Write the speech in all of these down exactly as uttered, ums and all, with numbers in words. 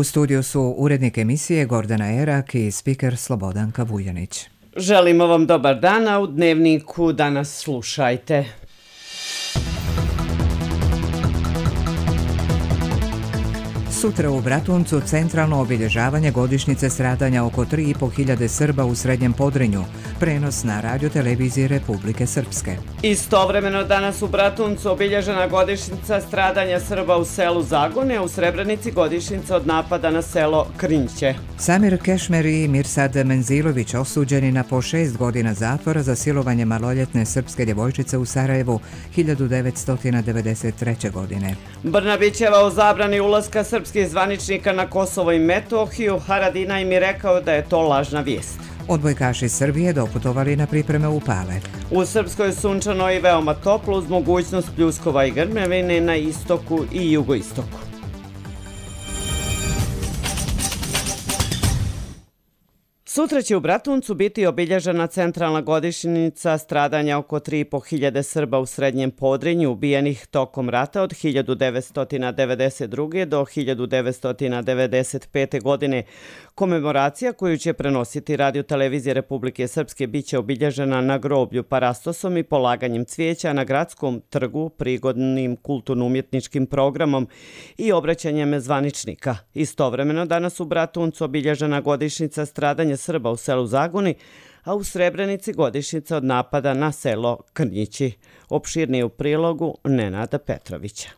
U studiju su urednik emisije Gordana Erak i spiker Slobodanka Vuljanić. Želimo vam dobar dan, a u Dnevniku danas slušajte. Sutra u Bratuncu centralno obilježavanje godišnjice stradanja oko tri i po hiljade Srba u Srednjem Podrinju. Prenos na radioteleviziji Republike Srpske. Istovremeno danas u Bratuncu obilježena godišnjica stradanja Srba u selu Zagone, a u Srebrenici godišnjica od napada na selo Krnjiće. Samir Kešmer i Mirsad Menzilović osuđeni na po šest godina zatvora za silovanje maloljetne srpske djevojčice u Sarajevu hiljadu devetsto devedeset treće. godine. Brnabićeva o zabrani ulaska srpskih zvaničnika na Kosovo i Metohiju, Haradina im je rekao da je to lažna vijest. Odbojkaši Srbije doputovali na pripreme u Pale. U Srpskoj je sunčano i veoma toplo uz mogućnost pljuskova i grmljavine na istoku i jugoistoku. Sutra će u Bratuncu biti obilježena centralna godišnjica stradanja oko tri i po hiljade Srba u Srednjem Podrinju ubijenih tokom rata od hiljadu devetsto devedeset druge. do hiljadu devetsto devedeset pete. godine. Komemoracija koju će prenositi radiotelevizija Republike Srpske biće obilježena na groblju Parastosom i polaganjem cvijeća na gradskom trgu, prigodnim kulturno-umjetničkim programom i obraćanjem zvaničnika. Istovremeno danas u Bratuncu obilježena godišnjica stradanja Srba u selu Zagoni, a u Srebrenici godišnjica od napada na selo Krnjići. Opširnije u prilogu Nenada Petrovića.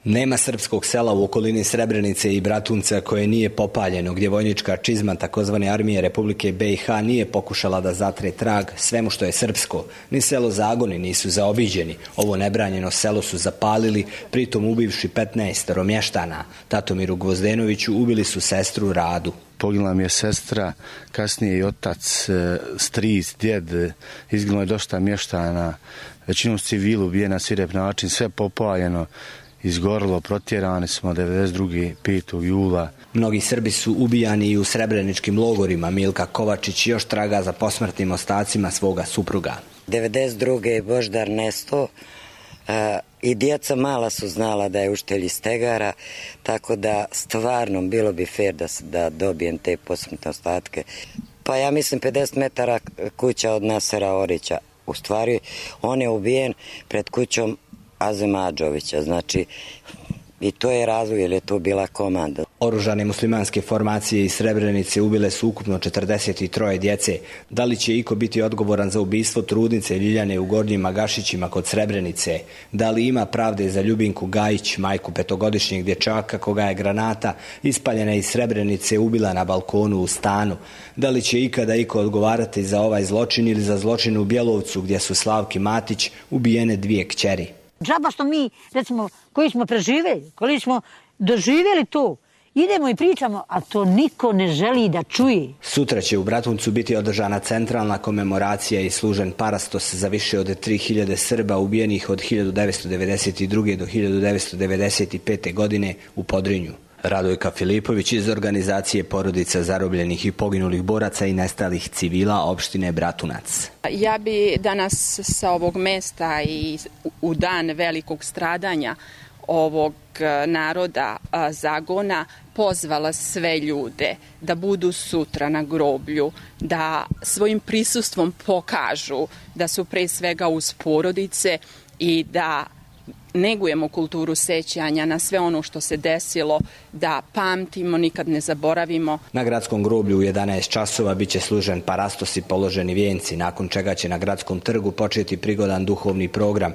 Nema srpskog sela u okolini Srebrenice i Bratunca koje nije popaljeno, gdje vojnička čizma takozvane armije Republike B i H nije pokušala da zatre trag svemu što je srpsko. Ni selo Zagoni nisu zaobiđeni. Ovo nebranjeno selo su zapalili, pritom ubivši petnaestoro mještana. Tatomiru Gvozdenoviću ubili su sestru Radu. Poginula mi je sestra, kasnije i otac, stric, djed, izginulo je dosta mještana, većinom civilu ubijena na svirep način, sve popaljeno, izgorilo, protjerani smo devedeset druge. petog jula. Mnogi Srbi su ubijani i u srebreničkim logorima. Milka Kovačić još traga za posmrtnim ostacima svoga supruga. devedeset druge. je Boždar nesto i djeca mala su znala da je učitelj iz Tegara, tako da stvarno bilo bi fair da, da dobijem te posmrtne ostatke. Pa ja mislim pedeset metara kuća od Nasera Orića. U stvari on je ubijen pred kućom Azem Adžovića, znači i to je razlog jer je to bila komanda. Oružane muslimanske formacije iz Srebrenice ubile su ukupno četrdeset tri djece. Da li će iko biti odgovoran za ubistvo trudnice Ljiljane u Gornjim Magašićima kod Srebrenice? Da li ima pravde za Ljubinku Gajić, majku petogodišnjeg dječaka koga je granata ispaljena iz Srebrenice ubila na balkonu u stanu? Da li će ikada iko odgovarati za ovaj zločin ili za zločin u Bjelovcu gdje su Slavki Matić ubijene dvije kćeri? Džaba što mi, recimo, koji smo preživjeli, koji smo doživjeli to, idemo i pričamo, a to niko ne želi da čuje. Sutra će u Bratuncu biti održana centralna komemoracija i služen parastos za više od tri hiljade Srba ubijenih od hiljadu devetsto devedeset druge. do hiljadu devetsto devedeset pete. godine u Podrinju. Radojka Filipović iz organizacije Porodica zarobljenih i poginulih boraca i nestalih civila opštine Bratunac. Ja bi danas sa ovog mesta i u dan velikog stradanja ovog naroda Zagona pozvala sve ljude da budu sutra na groblju, da svojim prisustvom pokažu da su pre svega uz porodice i da negujemo kulturu sećanja na sve ono što se desilo, da pamtimo, nikad ne zaboravimo. Na gradskom groblju u jedanaest časova biće služen parastos i položeni vijenci, nakon čega će na gradskom trgu početi prigodan duhovni program.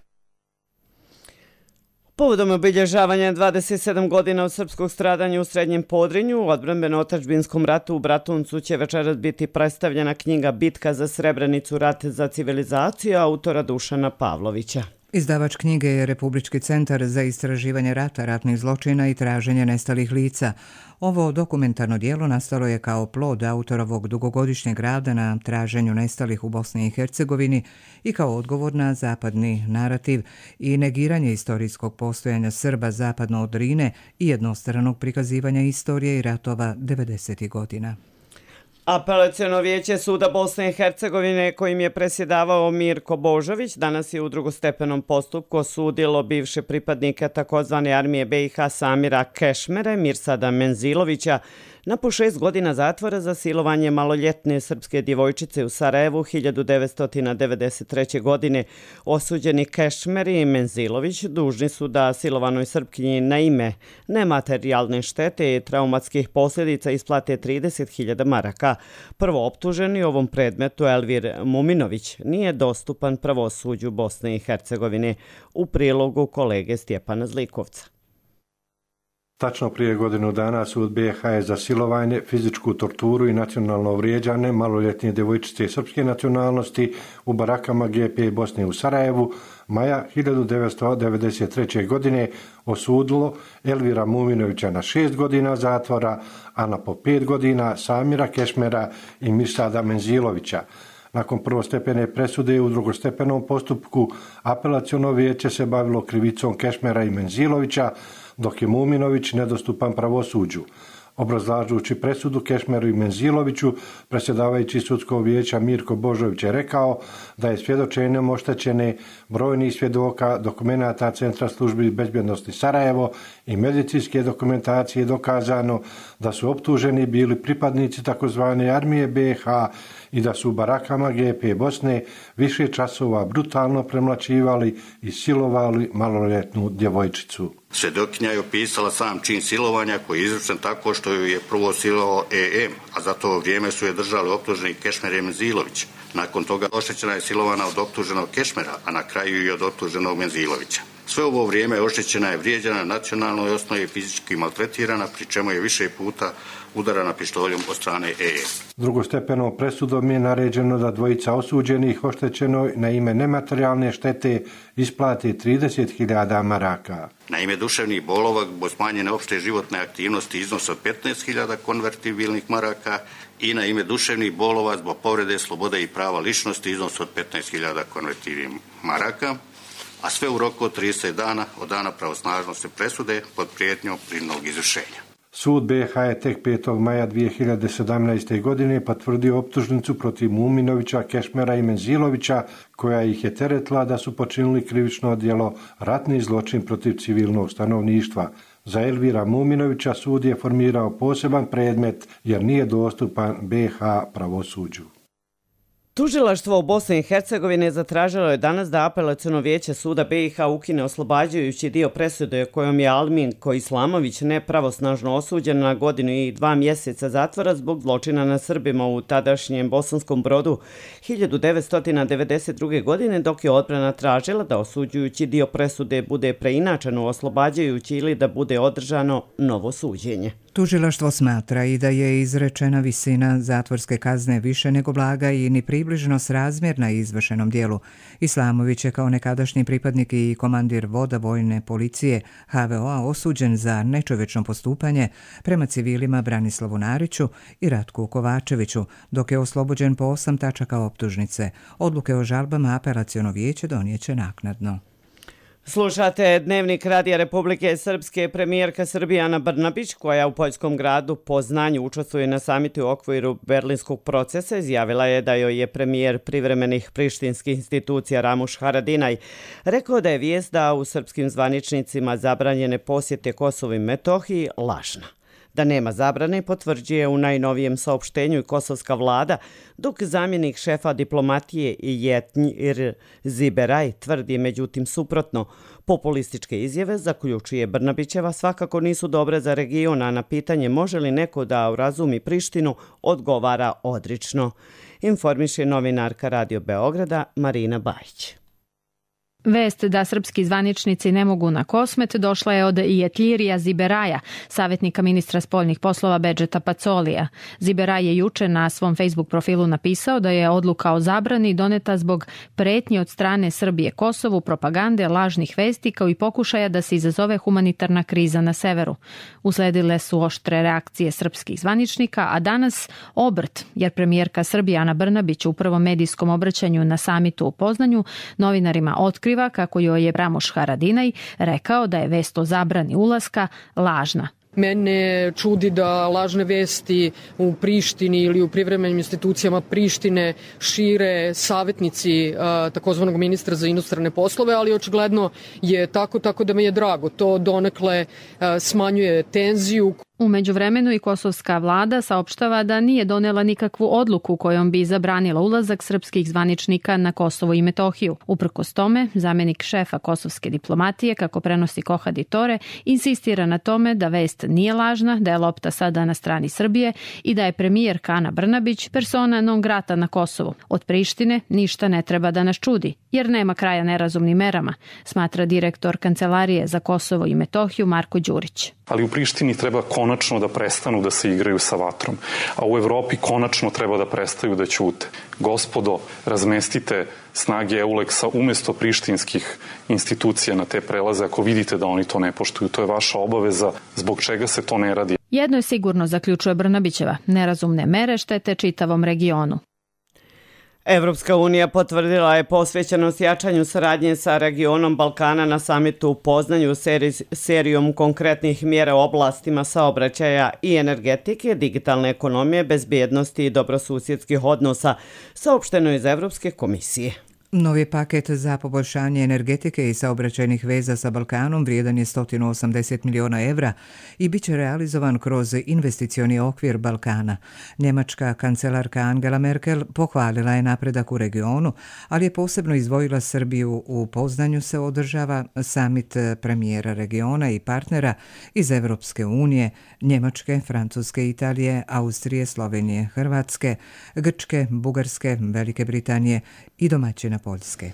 Povodom obilježavanja dvadeset sedam godina od srpskog stradanja u Srednjem Podrinju, u odbrambeno-otadžbinskom ratu u Bratuncu će večeras biti predstavljena knjiga Bitka za Srebrenicu, rat za civilizaciju autora Dušana Pavlovića. Izdavač knjige je Republički centar za istraživanje rata, ratnih zločina i traženje nestalih lica. Ovo dokumentarno djelo nastalo je kao plod autorovog dugogodišnjeg rada na traženju nestalih u Bosni i Hercegovini i kao odgovor na zapadni narativ i negiranje istorijskog postojanja Srba zapadno od Drine i jednostranog prikazivanja istorije i ratova devedesetih godina. Apelaciono vijeće suda Bosne i Hercegovine, kojim je presjedavao Mirko Božović, danas je u drugostepenom postupku osudilo bivše pripadnike takozvane armije B i H Samira Kešmere, Mirsada Menzilovića, na po šest godina zatvora za silovanje maloljetne srpske djevojčice u Sarajevu hiljadu devetsto devedeset treće. godine. Osuđeni Kešmer i Menzilović dužni su da silovanoj Srpkinji na ime nematerijalne štete i traumatskih posljedica isplate trideset hiljada maraka. Prvo optuženi u ovom predmetu Elvir Muminović nije dostupan pravosuđu Bosne i Hercegovine, u prilogu kolege Stjepana Zlikovca. Tačno prije godinu dana sud B i H je za silovanje, fizičku torturu i nacionalno vrijeđane maloljetne djevojčice srpske nacionalnosti u barakama G P Bosne u Sarajevu maja hiljadu devetsto devedeset treće. godine osudilo Elvira Muminovića na šest godina zatvora, a na po pet godina Samira Kešmera i Mirsada Menzilovića. Nakon prvostepene presude u drugostepenom postupku apelaciono vijeće se bavilo krivicom Kešmera i Menzilovića, dok je Muminović nedostupan pravosuđu. Obrazlažući presudu Kešmeru i Menziloviću, predsjedavajući sudskog vijeća Mirko Božović je rekao da je svjedočenjem oštećene brojnih svjedoka, dokumenata Centra službi bezbjednosti Sarajevo i medicinske dokumentacije dokazano da su optuženi bili pripadnici takozvane armije B i H i da su u barakama G P Bosne više časova brutalno premlaćivali i silovali maloljetnu djevojčicu. Svjedokinja je opisala sam čin silovanja koji je izvršen tako što ju je prvo silovao E M, a za to vrijeme su je držali optuženi Kešmer i Menzilović. Nakon toga oštećena je silovana od optuženog Kešmera, a na kraju i od optuženog Menzilovića. Sve ovo vrijeme oštećena je vrijeđana na nacionalnoj osnovi i fizički maltretirana, pri čemu je više puta udarana pištoljom od strane E M. Drugostepenom presudom je naređeno da dvojica osuđenih oštećenoj na ime nematerijalne štete isplati trideset hiljada maraka. Na ime duševnih bolova zbog smanjene opšte životne aktivnosti iznos od petnaest hiljada konvertibilnih maraka i na ime duševnih bolova zbog povrede slobode i prava ličnosti iznos od petnaest hiljada konvertibilnih maraka, a sve u roku od trideset dana od dana pravosnažnosti presude pod prijetnjom prinudnog izvršenja. Sud B i H je tek petog maja dvije hiljade sedamnaeste. godine potvrdio optužnicu protiv Muminovića, Kešmera i Menzilovića, koja ih je teretila da su počinili krivično djelo ratni zločin protiv civilnog stanovništva. Za Elvira Muminovića sud je formirao poseban predmet jer nije dostupan B i H pravosuđu. Tužilaštvo u Bosni i Hercegovini zatražilo je danas da apelaciono vijeće suda B i H ukine oslobađajući dio presude kojom je Alminko Islamović nepravosnažno osuđen na godinu i dva mjeseca zatvora zbog zločina na Srbima u tadašnjem Bosanskom Brodu hiljadu devetsto devedeset druge. godine, dok je odbrana tražila da osuđujući dio presude bude preinačen u oslobađajući ili da bude održano novo suđenje. Tužilaštvo smatra i da je izrečena visina zatvorske kazne više nego blaga i ni približno srazmjerna izvršenom dijelu. Islamović je kao nekadašnji pripadnik i komandir voda vojne policije H V O-a osuđen za nečovečno postupanje prema civilima Branislavu Nariću i Ratku Kovačeviću, dok je oslobođen po osam tačaka optužnice. Odluke o žalbama apelaciono vijeće donijeće naknadno. Slušate Dnevnik Radija Republike Srpske. Premijerka Srbije Ana Brnabić, koja u poljskom gradu Poznanju učestvuje na samitu u okviru berlinskog procesa, izjavila je da joj je premijer privremenih prištinskih institucija Ramuš Haradinaj rekao da je vijest da u srpskim zvaničnicima zabranjene posjete Kosovu i Metohiji lažna. Da nema zabrane potvrđuje u najnovijem saopštenju i kosovska vlada, dok zamjenik šefa diplomatije Jetnjir Ziberaj tvrdi međutim suprotno. Populističke izjave, zaključuje Brnabićeva, svakako nisu dobre za region, a na pitanje može li neko da urazumi Prištinu odgovara odrično. Informiše novinarka Radio Beograda Marina Bajić. Vest da srpski zvaničnici ne mogu na Kosmet došla je od Jetljirija Ziberaja, savjetnika ministra spoljnih poslova Bedžeta Pacolija. Ziberaj je juče na svom Facebook profilu napisao da je odluka o zabrani doneta zbog pretnji od strane Srbije Kosovu, propagande, lažnih vesti kao i pokušaja da se izazove humanitarna kriza na severu. Usledile su oštre reakcije srpskih zvaničnika, a danas obrt, jer premijerka Srbije Ana Brnabić u prvom medijskom obraćanju na samitu u Poznanju novinarima otkriva kako joj je Ramuš Haradinaj rekao da je vest o zabrani ulaska lažna. Mene čudi da lažne vesti u Prištini ili u privremenim institucijama Prištine šire savjetnici takozvanog ministra za inostrane poslove, ali očigledno je tako, tako da mi je drago. To donekle smanjuje tenziju. U međuvremenu i kosovska vlada saopštava da nije donela nikakvu odluku kojom bi zabranila ulazak srpskih zvaničnika na Kosovo i Metohiju. Uprkos tome, zamjenik šefa kosovske diplomatije, kako prenosi Kohadi Tore, insistira na tome da vest nije lažna, da je lopta sada na strani Srbije i da je premijer Ana Brnabić persona non grata na Kosovu. Od Prištine ništa ne treba da nas čudi, jer nema kraja nerazumnim merama, smatra direktor Kancelarije za Kosovo i Metohiju Marko Đurić. Ali u Prištini treba konačno da prestanu da se igraju sa vatrom, a u Evropi konačno treba da prestaju da ćute. Gospodo, razmestite snage Euleksa umjesto prištinskih institucija na te prelaze ako vidite da oni to ne poštuju. To je vaša obaveza, zbog čega se to ne radi. Jedno je sigurno, zaključuje Brnabićeva, nerazumne mere štete čitavom regionu. Evropska unija potvrdila je posvećenost jačanju saradnje sa regionom Balkana na samitu u Poznanju seri, serijom konkretnih mjera u oblastima saobraćaja i energetike, digitalne ekonomije, bezbjednosti i dobrosusjedskih odnosa, saopšteno iz Evropske komisije. Novi paket za poboljšanje energetike i saobraćajnih veza sa Balkanom vrijedan je sto osamdeset miliona evra i bit će realizovan kroz investicioni okvir Balkana. Njemačka kancelarka Angela Merkel pohvalila je napredak u regionu, ali je posebno izdvojila Srbiju. U Poznanju se održava samit premijera regiona i partnera iz Evropske unije, Njemačke, Francuske, Italije, Austrije, Slovenije, Hrvatske, Grčke, Bugarske, Velike Britanije i domaćina Poljske.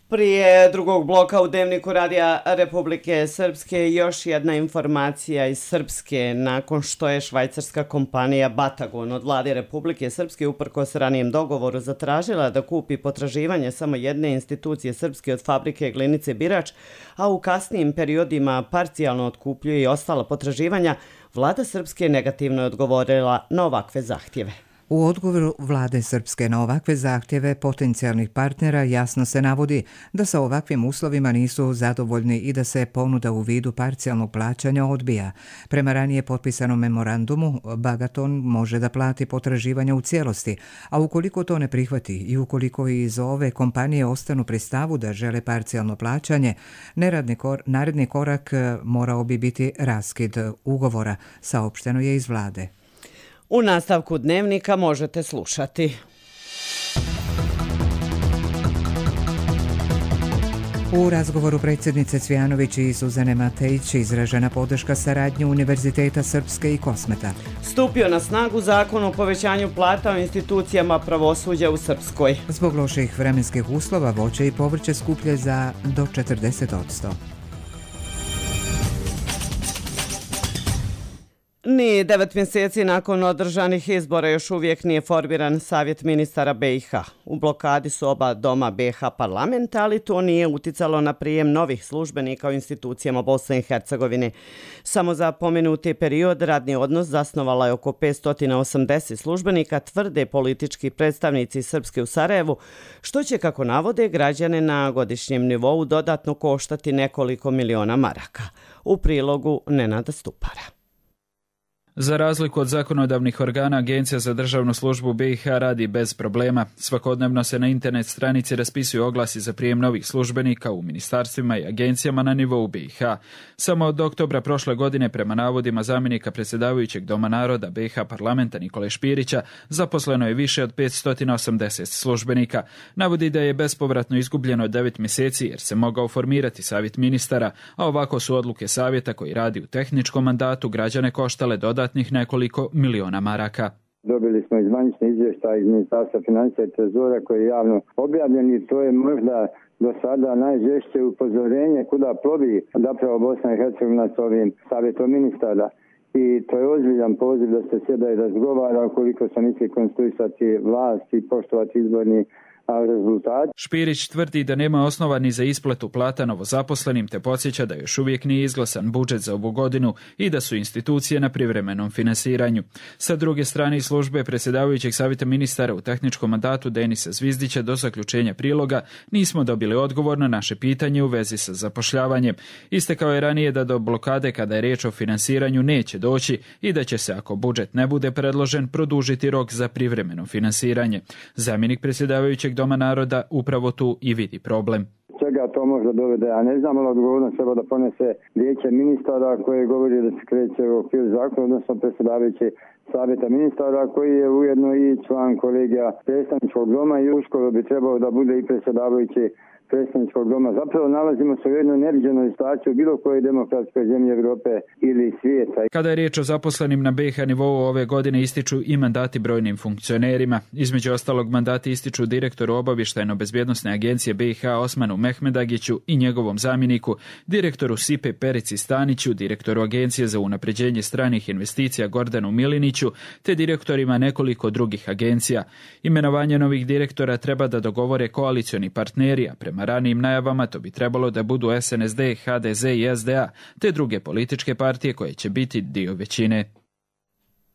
Prije drugog bloka u Dnevniku Radija Republike Srpske još jedna informacija iz Srpske. Nakon što je švajcarska kompanija Batagon od vlade Republike Srpske uprkos ranijem dogovoru zatražila da kupi potraživanje samo jedne institucije srpske od fabrike Glinice Birač, a u kasnijim periodima parcijalno otkupljuje i ostala potraživanja, vlada Srpske negativno je odgovorila na ovakve zahtjeve. U odgovoru vlade Srpske na ovakve zahtjeve potencijalnih partnera jasno se navodi da sa ovakvim uslovima nisu zadovoljni i da se ponuda u vidu parcijalnog plaćanja odbija. Prema ranije potpisanom memorandumu, Bagaton može da plati potraživanja u cijelosti, a ukoliko to ne prihvati i ukoliko iz ove kompanije ostanu pri stavu da žele parcijalno plaćanje, kor, naredni korak morao bi biti raskid ugovora, saopšteno je iz vlade. U nastavku Dnevnika možete slušati. U razgovoru predsjednice Cvjanović i Suzane Matejić izražena podrška saradnji Univerziteta Srpske i Kosmeta. Stupio na snagu zakon o povećanju plata u institucijama pravosuđa u Srpskoj. Zbog loših vremenskih uslova voće i povrće skuplje za do četrdeset posto. Ni devet mjeseci nakon održanih izbora još uvijek nije formiran Savjet ministara be i ha. U blokadi su oba doma be i ha parlamenta, ali to nije uticalo na prijem novih službenika u institucijama Bosne i Hercegovine. Samo za pomenuti period radni odnos zasnovala je oko petsto osamdeset službenika, tvrde politički predstavnici Srpske u Sarajevu, što će, kako navode, građane na godišnjem nivou dodatno koštati nekoliko miliona maraka. U prilogu Nenada Stupara. Za razliku od zakonodavnih organa, Agencija za državnu službu be i ha radi bez problema. Svakodnevno se na internet stranici raspisuju oglasi za prijem novih službenika u ministarstvima i agencijama na nivou be i ha. Samo od oktobra prošle godine, prema navodima zamjenika predsjedavajućeg Doma naroda be i ha parlamenta Nikole Špirića, zaposleno je više od petsto osamdeset službenika. Navodi da je bespovratno izgubljeno devet mjeseci jer se mogao formirati savjet ministara, a ovako su odluke savjeta koji radi u tehničkom mandatu građane koštale dodatno nekoliko miliona maraka. Dobili smo i zvanični izvještaj iz Ministarstva financija i trezora koji je javno objavljen i to je možda do sada najžešće upozorenje kuda plovi zapravo Bosna i Hercegovina s ovim savjetom ministara. I to je ozbiljan poziv da se sjeda i razgovara ukoliko se misli konstituisati vlast i poštovati izborni a rezultati... Špirić tvrdi da nema osnova ni za isplatu plata novozaposlenim, te podsjeća da još uvijek nije izglasan budžet za ovu godinu i da su institucije na privremenom finansiranju. Sa druge strane, iz službe predsjedavajućeg savjeta ministara u tehničkom mandatu Denisa Zvizdića do zaključenja priloga nismo dobili odgovor na naše pitanje u vezi sa zapošljavanjem. Istekao je ranije da do blokade kada je riječ o finansiranju neće doći i da će se, ako budžet ne bude predložen, produžiti rok za privremeno finansiranje. Zamjenik predsjedavajućeg Doma naroda upravo tu i vidi problem. Čega to možda dovede, ja ne znam, ali odgovornost treba da ponese vijeće ministara koje govori da se kreće u okvir zakona, odnosno predsjedavajući savjeta ministara koji je ujedno i član kolegija predstavničkog doma i uskoro bi trebao da bude i predsjedavajući predstavničkog doma. Zapravo nalazimo se u jednoj neviđenoj situaciji u bilo kojoj demokratskoj zemlji Europe ili svijeta. Kada je riječ o zaposlenim na B iH nivou, ove godine ističu i mandati brojnim funkcionerima. Između ostalog, mandati ističu direktoru obavještajno-bezbjednosne agencije B iH Osmanu Mehmedagiću i njegovom zamjeniku, direktoru S I P-e Perici Staniću, direktoru Agencije za unapređenje stranih investicija Gordanu Miliniću, te direktorima nekoliko drugih agencija. Imenovanje novih direktora treba da dogovore koalicioni partneri, a prema ranijim najavama to bi trebalo da budu S N S D, H D Z i S D A, te druge političke partije koje će biti dio većine.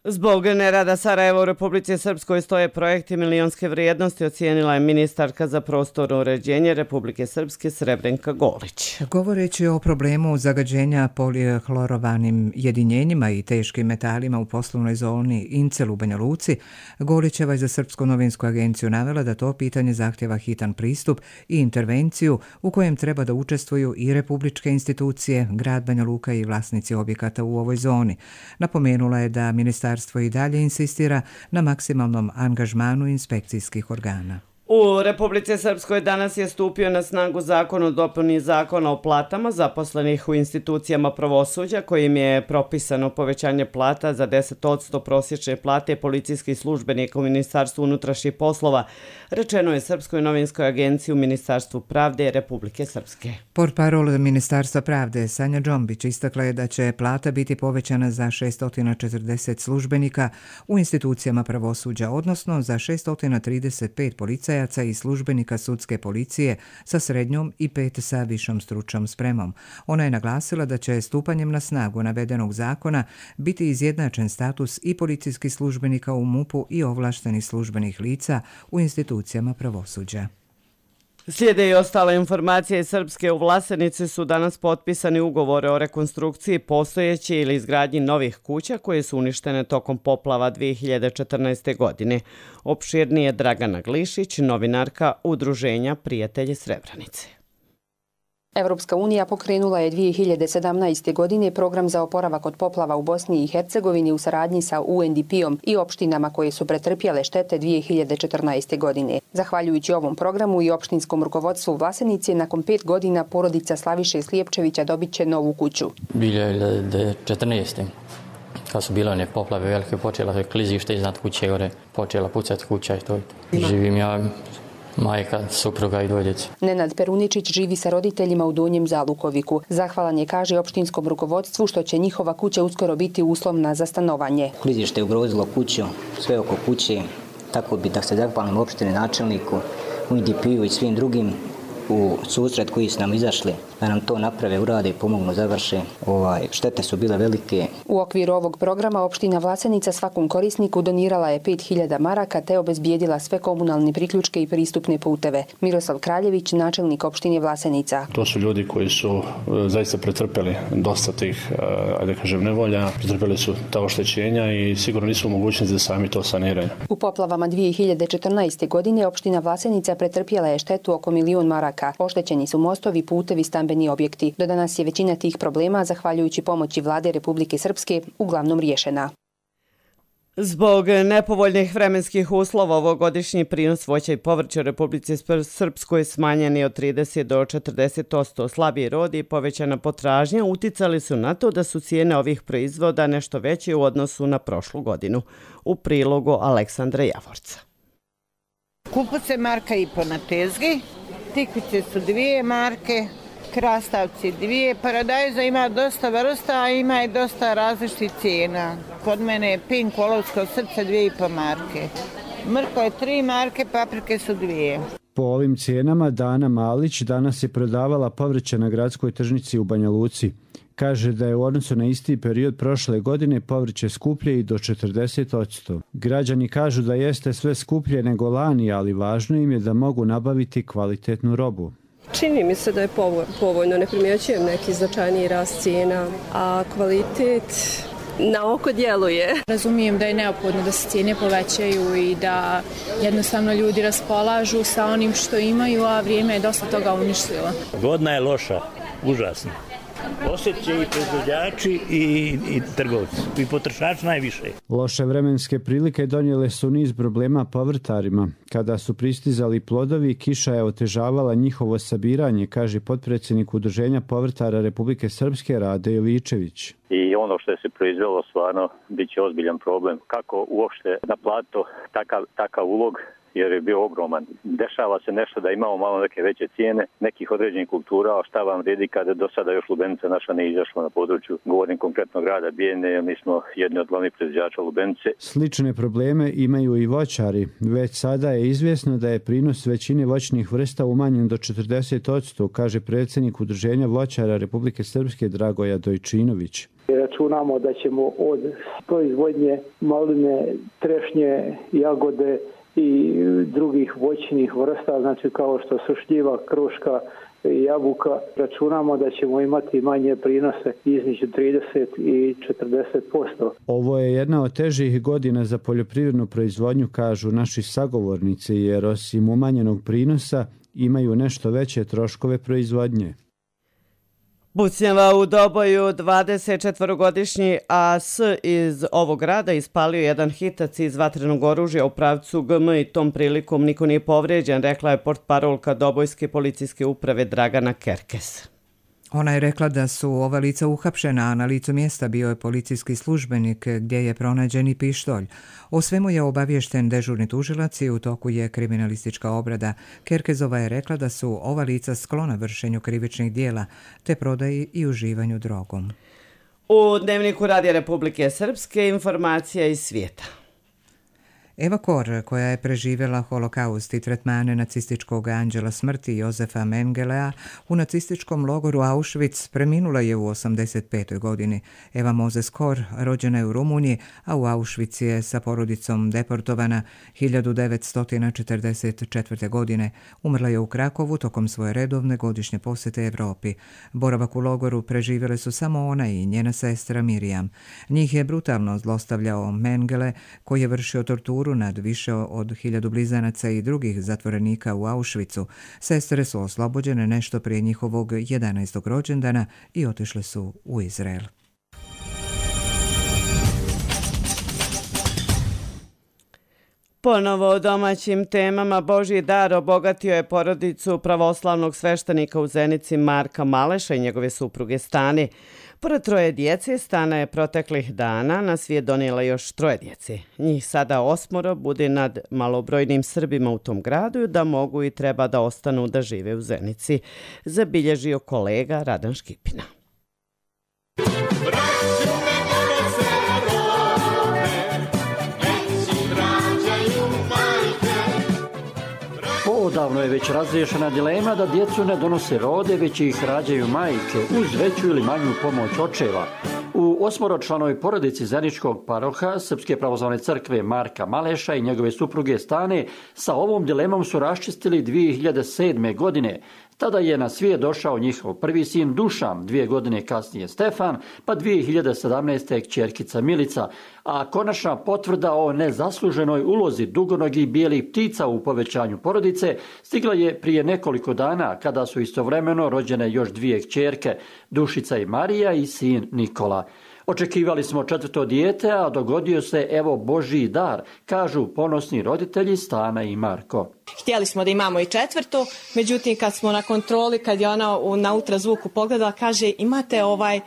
Zbog nerada Sarajeva u Republici Srpskoj stoje projekti milionske vrijednosti, ocijenila je ministarka za prostorno uređenje Republike Srpske Srebrenka Golić. Govoreći o problemu zagađenja polihlorovanim jedinjenjima i teškim metalima u poslovnoj zoni Incel u Banja Luci, Golićeva je za Srpsku novinsku agenciju navela da to pitanje zahtjeva hitan pristup i intervenciju u kojem treba da učestvuju i republičke institucije, grad Banja Luka i vlasnici objekata u ovoj zoni. Napomenula je da ministarstvo i dalje insistira na maksimalnom angažmanu inspekcijskih organa. U Republici Srpskoj danas je stupio na snagu zakon o dopuni zakona o platama zaposlenih u institucijama pravosuđa, kojim je propisano povećanje plata za deset posto prosječne plate policijskih službenika u Ministarstvu unutrašnjih poslova, rečeno je Srpskoj novinskoj agenciji u Ministarstvu pravde Republike Srpske. Portparol Ministarstva pravde Sanja Džombić istakla je da će plata biti povećana za šesto četrdeset službenika u institucijama pravosuđa, odnosno za šesto trideset pet policajaca i službenika sudske policije sa srednjom i pet sa višom stručnom spremom. Ona je naglasila da će stupanjem na snagu navedenog zakona biti izjednačen status i policijskih službenika u MUP-u i ovlaštenih službenih lica u institucijama pravosuđa. Slijede i ostale informacije. Srpske u Vlasenici su danas potpisani ugovore o rekonstrukciji postojeće ili izgradnji novih kuća koje su uništene tokom poplava dvije hiljade četrnaeste. godine. Opširnije Dragana Glišić, novinarka Udruženja Prijatelji Srebrenice. Evropska unija pokrenula je dvije hiljade sedamnaeste. godine program za oporavak od poplava u Bosni i Hercegovini u saradnji sa U N D P-om i opštinama koje su pretrpjele štete dvije hiljade četrnaeste. godine. Zahvaljujući ovom programu i opštinskom rukovodstvu Vlasenice, nakon pet godina porodica Slaviše Slijepčevića dobit će novu kuću. dvije hiljade četrnaeste. kad su bile one poplave velike, počela je klizište iznad kuće gore, počela pucati kuća i to. Živim ja, majka, supruga i dvoje djece. Nenad Peruničić živi sa roditeljima u Donjem Zalukoviku. Zahvalan je, kaže, opštinskom rukovodstvu što će njihova kuća uskoro biti uslovna za stanovanje. Klizište je ugrozilo kuću, sve oko kuće, tako bi da se zahvalim opštini, načelniku, U N D P-u i svim drugim u susret koji su nam izašli, da nam to naprave, urade i pomognu, završe. Ovaj, štete su bile velike. U okviru ovog programa opština Vlasenica svakom korisniku donirala je pet hiljada maraka te obezbijedila sve komunalne priključke i pristupne puteve. Miroslav Kraljević, načelnik opštine Vlasenica. To su ljudi koji su zaista pretrpeli dosta tih, ajde kažem, nevolja, pretrpeli su ta oštećenja i sigurno nisu u mogućnosti da sami to saniraju. U poplavama dvije hiljade četrnaeste. godine opština Vlasenica pretrpjela je štetu oko milion maraka. Oštećeni su mostovi, putevi, stambeni objekti. Do danas je većina tih problema, zahvaljujući pomoći vlade Republike Srpske, uglavnom riješena. Zbog nepovoljnih vremenskih uslova ovogodišnji prinos voća i povrća u Republici Srpskoj smanjen je od trideset do četrdeset posto. Slabiji rod i povećana potražnja uticali su na to da su cijene ovih proizvoda nešto veće u odnosu na prošlu godinu. U prilogu Aleksandra Javorca. Kupuce marka i po na tezgi, tikvice su dvije marke, krastavci dvije, paradajza ima dosta vrsta, a ima i dosta različitih cijena. Kod mene je pink olovsko srce dvije i po marke. Mrko je tri marke, paprike su dvije. Po ovim cijenama Dana Malić danas je prodavala povrće na gradskoj tržnici u Banja Luci. Kaže da je u odnosu na isti period prošle godine povrće skuplje i do četrdeset posto. Građani kažu da jeste sve skuplje nego lani, ali važno im je da mogu nabaviti kvalitetnu robu. Čini mi se da je povoljno, ne primjećujem neki značajniji rast cijena, a kvalitet na oko djeluje. Razumijem da je neophodno da se cijene povećaju i da jednostavno ljudi raspolažu sa onim što imaju, a vrijeme je dosta toga uništilo. Godina je loša, užasno. Osjetit će i proizvođači i, i trgovci, i potrošači najviše. Loše vremenske prilike donijele su niz problema povrtarima. Kada su pristizali plodovi, kiša je otežavala njihovo sabiranje, kaže potpredsjednik Udruženja povrtara Republike Srpske Rade Jovičević. I ono što je se proizvelo stvarno bit će ozbiljan problem. Kako uopšte naplatiti takav, takav ulog, jer je bio ogroman. Dešava se nešto da imamo malo neke veće cijene nekih određenih kultura, a šta vam vredi kada do sada još lubenica naša ne izašla na području, govorim konkretno grada Bijene, mi smo jedni od glavnih proizvođača lubenice. Slične probleme imaju i voćari. Već sada je izvjesno da je prinos većine voćnih vrsta umanjen do četrdeset posto, kaže predsjednik Udruženja voćara Republike Srpske Dragoja Dojčinović. Računamo da ćemo od proizvodnje maline, trešnje, jagode i drugih voćnih vrsta, znači kao što su šljiva, kruška, jabuka, računamo da ćemo imati manje prinose između trideset i četrdeset posto. Ovo je jedna od težih godina za poljoprivrednu proizvodnju, kažu naši sagovornici, jer osim umanjenog prinosa imaju nešto veće troškove proizvodnje. Pucnjava u Doboju, dvadesetčetvorogodišnji A S iz ovog grada ispalio jedan hitac iz vatrenog oružja u pravcu G M i tom prilikom niko nije povrijeđen, rekla je portparolka Dobojske policijske uprave Dragana Kerkes. Ona je rekla da su ova lica uhapšena, a na licu mjesta bio je policijski službenik gdje je pronađen i pištolj. O svemu je obaviješten dežurni tužilac i u toku je kriminalistička obrada. Kerkezova je rekla da su ova lica sklona vršenju krivičnih dijela te prodaji i uživanju drogom. U Dnevniku Radija Republike Srpske informacija iz svijeta. Eva Kor, koja je preživjela holokaust i tretmane nacističkog anđela smrti Jozefa Mengelea u nacističkom logoru Auschwitz, preminula je u osamdeset petoj godini. Eva Mozes Kor rođena je u Rumuniji, a u Auschwitz je sa porodicom deportovana hiljadu devetsto četrdeset četvrte. godine. Umrla je u Krakovu tokom svoje redovne godišnje posjete Evropi. Boravak u logoru preživjele su samo ona i njena sestra Mirjam. Njih je brutalno zlostavljao Mengele, koji je vršio torturu nad više od hiljadu blizanaca i drugih zatvorenika u Auschwitzu. Sestre su oslobođene nešto prije njihovog jedanaestog rođendana i otišle su u Izrael. Ponovo o domaćim temama. Božji dar obogatio je porodicu pravoslavnog sveštenika u Zenici Marka Maleša i njegove supruge Stane. Pored troje djece, Stana je proteklih dana na svijet donijela još troje djece. Njih sada osmoro bude nad malobrojnim Srbima u tom gradu da mogu i treba da ostanu da žive u Zenici, zabilježio kolega Radan Škipina. Odavno je već razriješena dilema da djecu ne donose rode, već ih rađaju majke uz veću ili manju pomoć očeva. U osmoročlanoj porodici zeničkog paroha Srpske pravoslavne crkve Marka Maleša i njegove supruge Stane sa ovom dilemom su raščistili dvije hiljade sedme. godine. Tada je na svijet došao njihov prvi sin Dušan, dvije godine kasnije Stefan, pa dvije hiljade sedamnaeste. kćerkica Milica, a konačna potvrda o nezasluženoj ulozi dugonogih bijelih ptica u povećanju porodice stigla je prije nekoliko dana kada su istovremeno rođene još dvije kćerke, Dušica i Marija i sin Nikola. Očekivali smo četvrto dijete, a dogodio se evo Božji dar, kažu ponosni roditelji Stana i Marko. Htjeli smo da imamo i četvrto, međutim kad smo na kontroli, kad je ona na ultrazvuku pogledala, kaže imate ovaj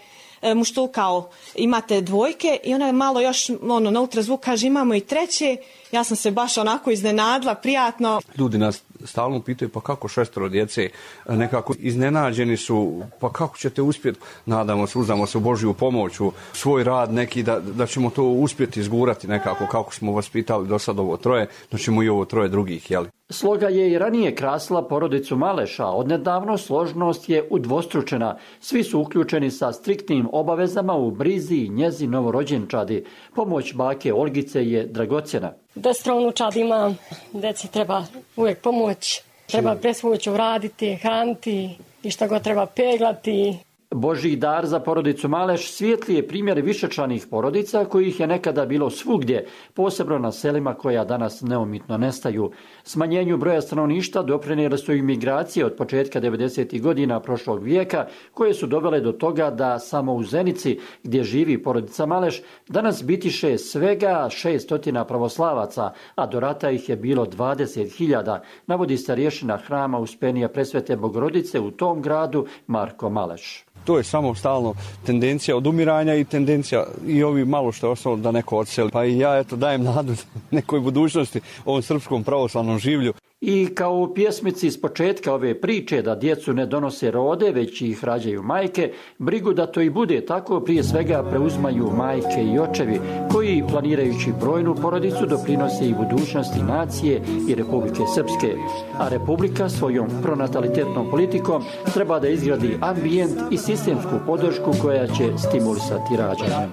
muštukao, imate dvojke i ona je malo još ono, na ultrazvuk kaže imamo i treće. Ja sam se baš onako iznenadila, prijatno. Ljudi nas stalno pitaju pa kako šestoro djece, nekako iznenađeni su, pa kako ćete uspjeti, nadamo se, uzdamo se u Božju pomoć, u svoj rad neki, da, da ćemo to uspjeti izgurati nekako, kako smo vas pitali do sad ovo troje, da ćemo i ovo troje drugih, jeli. Sloga je i ranije krasila porodicu Maleša, odnedavno složnost je udvostručena. Svi su uključeni sa striktnim obavezama u brizi i njezi novorođenčadi. Pomoć bake Olgice je dragocjena. Desetoro unučadi ima, deci treba uvijek pomoć, treba bespomoćno raditi, hraniti i što god treba peglati. Božji dar za porodicu Maleš svijetli je primjer višečlanih porodica kojih je nekada bilo svugdje, posebno na selima koja danas neumitno nestaju. Smanjenju broja stanovništva doprinijele su imigracije od početka devedesetih godina prošlog vijeka, koje su dovele do toga da samo u Zenici, gdje živi porodica Maleš, danas bitiše svega šeststotina pravoslavaca, a do rata ih je bilo dvadeset hiljada, navodi starješina hrama Uspenija Presvete Bogorodice u tom gradu Marko Maleš. To je samo stalno tendencija odumiranja i tendencija i ovi malo što je ostalo da neko odseli. Pa i ja eto dajem nadu nekoj budućnosti ovom srpskom pravoslavnom življu. I kao u pjesmici s početka ove priče da djecu ne donose rode, već ih rađaju majke, brigu da to i bude tako prije svega preuzmaju majke i očevi, koji planirajući brojnu porodicu doprinose i budućnosti nacije i Republike Srpske. A Republika svojom pronatalitetnom politikom treba da izgradi ambijent i sistemsku podršku koja će stimulisati rađanje.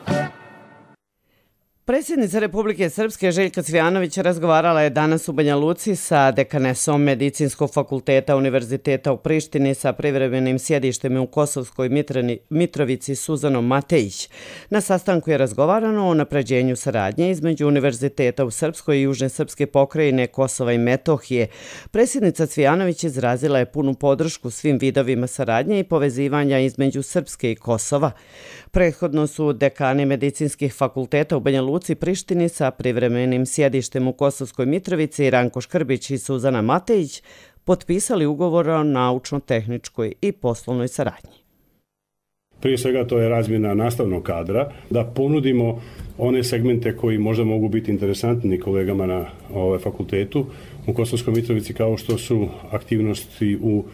Predsjednica Republike Srpske Željka Cvijanović razgovarala je danas u Banja Luci sa dekanesom Medicinskog fakulteta Univerziteta u Prištini sa privremenim sjedištem u Kosovskoj Mitrani, Mitrovici Suzanom Matejić. Na sastanku je razgovarano o unapređenju saradnje između Univerziteta u Srpskoj i Južne Srpske pokrajine Kosova i Metohije. Predsjednica Cvijanović izrazila je punu podršku svim vidovima saradnje i povezivanja između Srpske i Kosova. Prethodno su dekani medicinskih fakulteta u Banja Luci Prištini sa privremenim sjedištem u Kosovskoj Mitrovici Ranko Škrbić i Suzana Matejić potpisali ugovor o naučno-tehničkoj i poslovnoj saradnji. Prije svega to je razmjena nastavnog kadra, da ponudimo one segmente koji možda mogu biti interesantni kolegama na ovaj fakultetu u Kosovskoj Mitrovici, kao što su aktivnosti u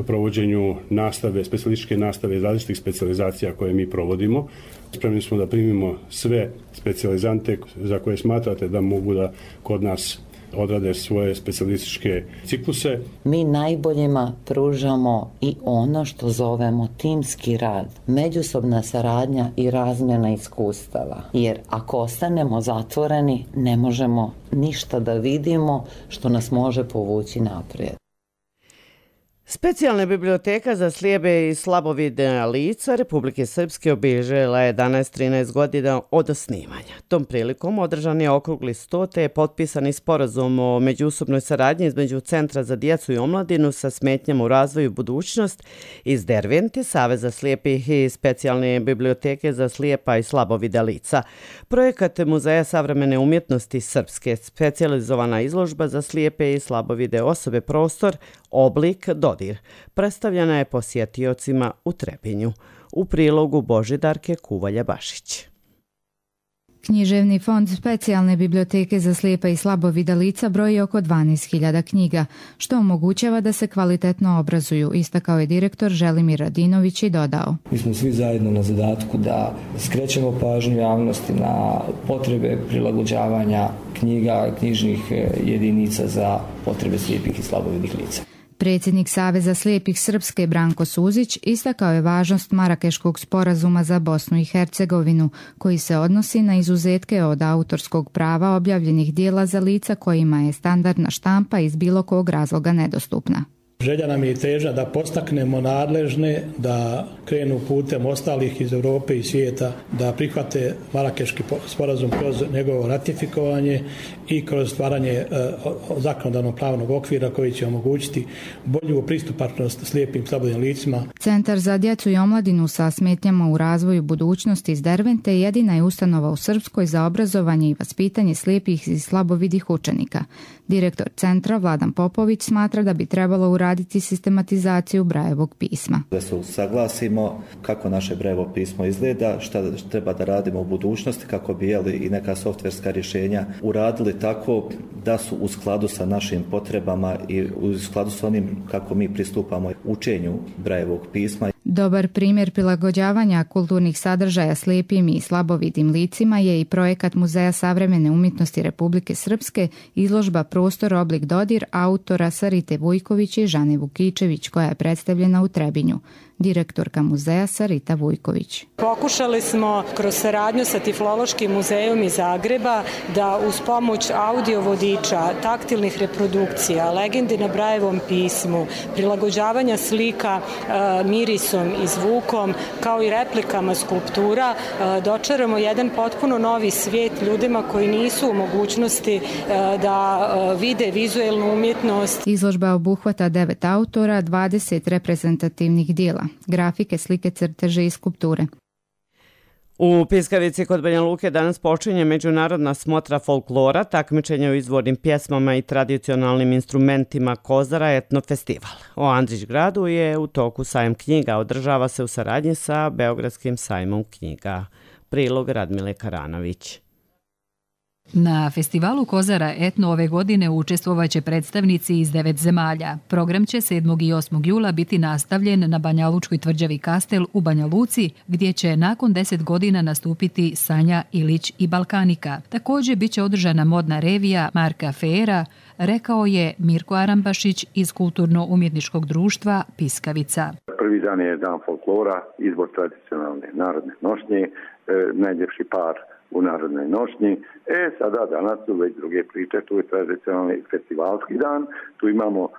provođenju nastave, specijalističke nastave iz različitih specijalizacija koje mi provodimo. Spremni smo da primimo sve specijalizante za koje smatrate da mogu da kod nas odrade svoje specijalističke cikluse. Mi najboljima pružamo i ono što zovemo timski rad, međusobna saradnja i razmjena iskustava. Jer ako ostanemo zatvoreni, ne možemo ništa da vidimo što nas može povući naprijed. Specijalna biblioteka za slijepe i slabovidna lica Republike Srpske obilježila je jedanaest trinaest godina od osnivanja. Tom prilikom održan je okrugli sto te je potpisani sporazum o međusobnoj saradnji između Centra za djecu i omladinu sa smetnjama u razvoju budućnost iz Dervente, Saveza slijepih i Specijalne biblioteke za slijepa i slabovidna lica. Projekat Muzeja savremene umjetnosti Srpske, specijalizovana izložba za slijepe i slabovide osobe prostor, oblik, dodir, predstavljena je posjetiocima u Trebinju. U prilogu Božidarke Kuvalja-Bašić. Književni fond Specijalne biblioteke za slijepa i slabovida lica broji oko dvanaest hiljada knjiga, što omogućava da se kvalitetno obrazuju, istakao je direktor Želimir Radinović i dodao. Mi smo svi zajedno na zadatku da skrećemo pažnju javnosti na potrebe prilagođavanja knjiga, knjižnih jedinica za potrebe slijepih i slabovidih lica. Predsjednik Saveza slijepih Srpske Branko Suzić istakao je važnost Marakeškog sporazuma za Bosnu i Hercegovinu, koji se odnosi na izuzetke od autorskog prava objavljenih dijela za lica kojima je standardna štampa iz bilo kog razloga nedostupna. Želja nam je i težnja da postaknemo nadležne da krenu putem ostalih iz Europe i svijeta, da prihvate Marakeški sporazum kroz njegovo ratifikovanje i kroz stvaranje zakonodavnog pravnog okvira koji će omogućiti bolju pristupačnost slijepim slabovidnim licima. Centar za djecu i omladinu sa smetnjama u razvoju budućnosti iz Dervente jedina je ustanova u Srpskoj za obrazovanje i vaspitanje slijepih i slabovidih učenika. Direktor centra Vladan Popović smatra da bi trebalo uraditi sistematizaciju Brajevog pisma. Da se usaglasimo kako naše Brajevo pismo izgleda, šta treba da radimo u budućnosti kako bi jeli i neka softverska rješenja uradili tako da su u skladu sa našim potrebama i u skladu sa onim kako mi pristupamo učenju Brajevog pisma. Dobar primjer prilagođavanja kulturnih sadržaja slijepim i slabovidim licima je i projekat Muzeja savremene umjetnosti Republike Srpske, izložba Prostor oblik dodir autora Sarite Vujković i Žane Vukičević, koja je predstavljena u Trebinju. Direktorka muzeja Sarita Vujković. Pokušali smo kroz saradnju sa Tiflološkim muzejom iz Zagreba da uz pomoć audio vodiča, taktilnih reprodukcija, legendi na Brajevom pismu, prilagođavanja slika e, mirisom i zvukom, kao i replikama skulptura, e, dočaramo jedan potpuno novi svijet ljudima koji nisu u mogućnosti e, da e, vide vizuelnu umjetnost. Izložba obuhvata devet autora, dvadeset reprezentativnih dijela, grafike, slike, crteže i skulpture. U Piskavici kod Banja Luke danas počinje međunarodna smotra folklora, takmičenje u izvornim pjesmama i tradicionalnim instrumentima Kozara etnofestival. O Andrićgradu je u toku sajam knjiga, održava se u saradnji sa Beogradskim sajmom knjiga. Prilog Radmile Karanović. Na festivalu Kozara etno ove godine učestvovaće predstavnici iz devet zemalja. Program će sedmog i osmog jula biti nastavljen na Banjalučkoj tvrđavi Kastel u Banja Luci, gdje će nakon deset godina nastupiti Sanja Ilić i Balkanika. Također bit će održana modna revija Marka Fera, rekao je Mirko Arambašić iz Kulturno-umjetničkog društva Piskavica. Prvi dan je dan folklora, izbor tradicionalne narodne nošnje, e, najljepši par u narodnoj nošnji. E, sada danas su već druge priče, tu je tradicionalni festivalski dan, tu imamo e,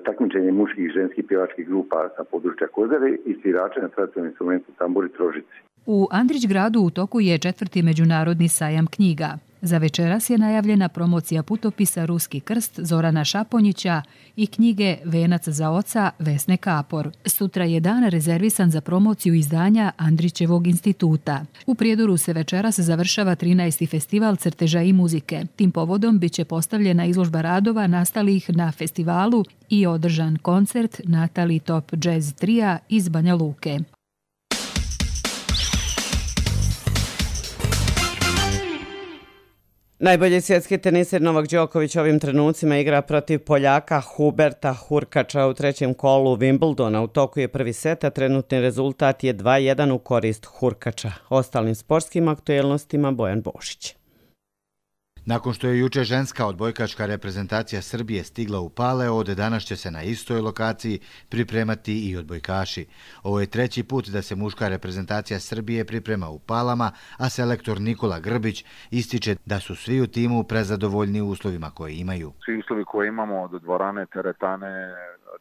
takmičenje muških i ženskih pjevačkih grupa sa područja Kozare i svirače na tradicionalnom instrumentu tamburi trožici. U Andrićgradu u toku je četvrti međunarodni sajam knjiga. Za večeras je najavljena promocija putopisa Ruski krst Zorana Šaponjića i knjige Venac za oca Vesne Kapor. Sutra je dan rezervisan za promociju izdanja Andrićevog instituta. U Prijedoru se večeras završava trinaesti festival crteža i muzike. Tim povodom biće postavljena izložba radova nastalih na festivalu i održan koncert Natali Top Jazz Tria iz Banja Luke. Najbolji svjetski teniser Novak Đoković ovim trenucima igra protiv Poljaka Huberta Hurkača u trećem kolu Wimbledona. U toku je prvi set, a trenutni rezultat je dva jedan u korist Hurkača. Ostalim sportskim aktuelnostima Bojan Bošić. Nakon što je juče ženska odbojkaška reprezentacija Srbije stigla u Paleo, od danas će se na istoj lokaciji pripremati i odbojkaši. Ovo je treći put da se muška reprezentacija Srbije priprema u Palama, a selektor Nikola Grbić ističe da su svi u timu prezadovoljni uslovima koje imaju. Svi uslovi koje imamo od dvorane, teretane,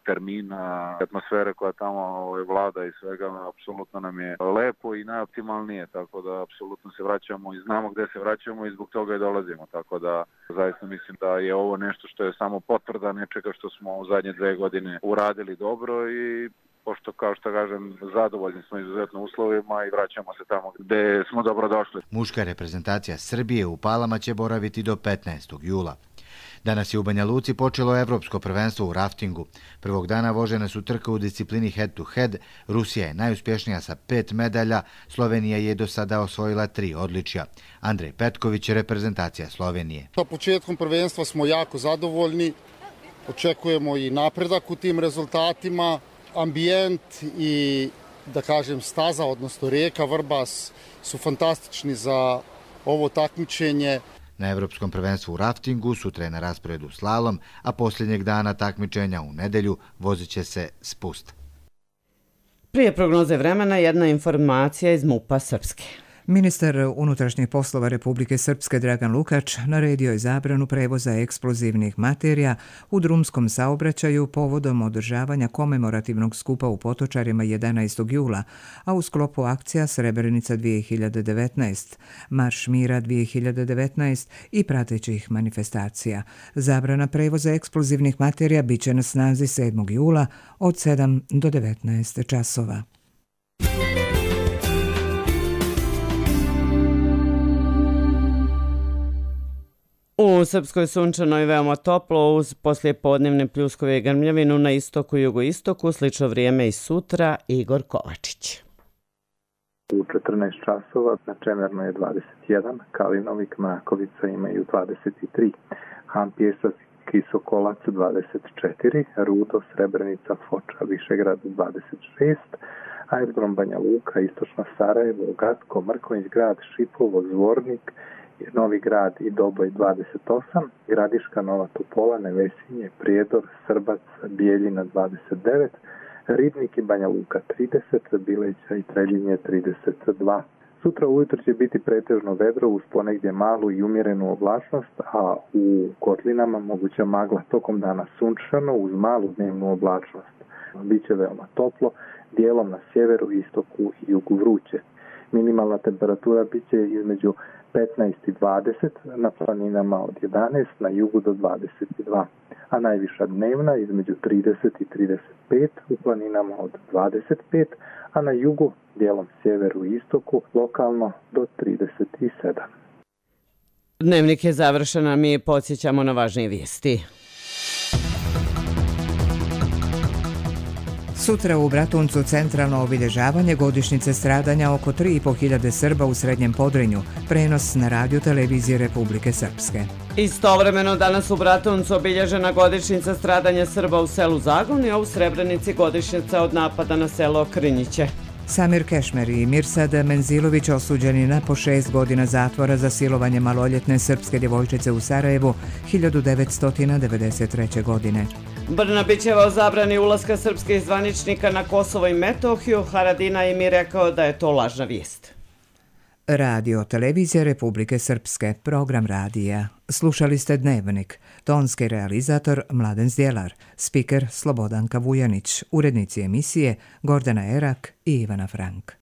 termina, atmosfere koja tamo vlada i svega, apsolutno nam je lepo i najoptimalnije, tako da apsolutno se vraćamo i znamo gde se vraćamo i zbog toga i dolazimo, tako da zaista mislim da je ovo nešto što je samo potvrda nečega što smo u zadnje dve godine uradili dobro i pošto, kao što kažem, zadovoljni smo izuzetno uslovima i vraćamo se tamo gde smo dobro došli. Muška reprezentacija Srbije u Palama će boraviti do petnaestog jula. Danas je u Banja Luci počelo evropsko prvenstvo u raftingu. Prvog dana vožene su trke u disciplini head to head. Rusija je najuspješnija sa pet medalja, Slovenija je do sada osvojila tri odličja. Andrej Petković, reprezentacija Slovenije. Sa početkom prvenstva smo jako zadovoljni, očekujemo i napredak u tim rezultatima. Ambijent i, da kažem, staza, odnosno rijeka Vrbas su fantastični za ovo takmičenje. Na evropskom prvenstvu u raftingu sutra je na rasporedu slalom, a posljednjeg dana takmičenja u nedelju vozit će se spust. Prije prognoze vremena jedna informacija iz MUP-a Srpske. Ministar unutrašnjih poslova Republike Srpske Dragan Lukač naredio je zabranu prevoza eksplozivnih materija u drumskom saobraćaju povodom održavanja komemorativnog skupa u Potočarima jedanaestog jula, a u sklopu akcija Srebrenica dvije hiljade devetnaest, Marš mira dvije hiljade devetnaest i pratećih manifestacija. Zabrana prevoza eksplozivnih materija biće na snazi sedmog jula od sedam do devetnaest časova. U Srpskoj sunčanoj veoma toplo uz poslijepodnevne pljuskove i grmljavinu na istoku i jugoistoku, slično vrijeme i sutra. Igor Kovačić. U četrnaest časova na Čemernoj je dvadeset jedan, Kalinovik, Mrakovica imaju dvadeset tri, Hampjesac, Kisokolac dvadeset četiri, Rudo, Srebrenica, Foča, Višegrad dvadeset šest, aerodrom Banja Luka, istočno Sarajevo, Gatko, Mrkonjić grad, Šipovo, Zvornik, Novi grad i Doboj dvadeset osam, Gradiška, Nova Topola, Nevesinje, Prijedor, Srbac, Bijeljina dvadeset devet, Ribnik i Banja Luka trideset, Bileća i Treljinje trideset dva. Sutra ujutro će biti pretežno vedro uz ponegdje malu i umjerenu oblačnost, a u kotlinama moguća magla, tokom dana sunčano uz malu dnevnu oblačnost. Biće veoma toplo, dijelom na sjeveru, istoku i jugu vruće. Minimalna temperatura biće između petnaest i dvadeset, na planinama od jedanaest, na jugu do dvadeset dva, a najviša dnevna između trideset i trideset pet, u planinama od dvadeset pet, a na jugu, dijelom sjeveru i istoku, lokalno do trideset sedam. Dnevnik je završen, a mi podsjećamo na važnije vijesti. Sutra u Bratuncu centralno obilježavanje godišnjice stradanja oko tri i po hiljade Srba u Srednjem Podrinju, prenos na radio televizije Republike Srpske. Istovremeno danas u Bratuncu obilježena godišnjica stradanja Srba u selu Zagon, a u Srebrenici godišnjica od napada na selo Krinjiće. Samir Kešmer i Mirsad Menzilović osuđeni na po šest godina zatvora za silovanje maloljetne srpske djevojčice u Sarajevu hiljadu devetsto devedeset treće. godine. Brnabićeva o zabrani ulaska srpskih zvaničnika na Kosovo i Metohiju, Haradina im je rekao da je to lažna vijest. Radio televizija Republike Srpske, program radija. Slušali ste Dnevnik, tonski realizator Mladen Zdjelar, spiker Slobodanka Vujanić, urednici emisije Gordana Erak i Ivana Frank.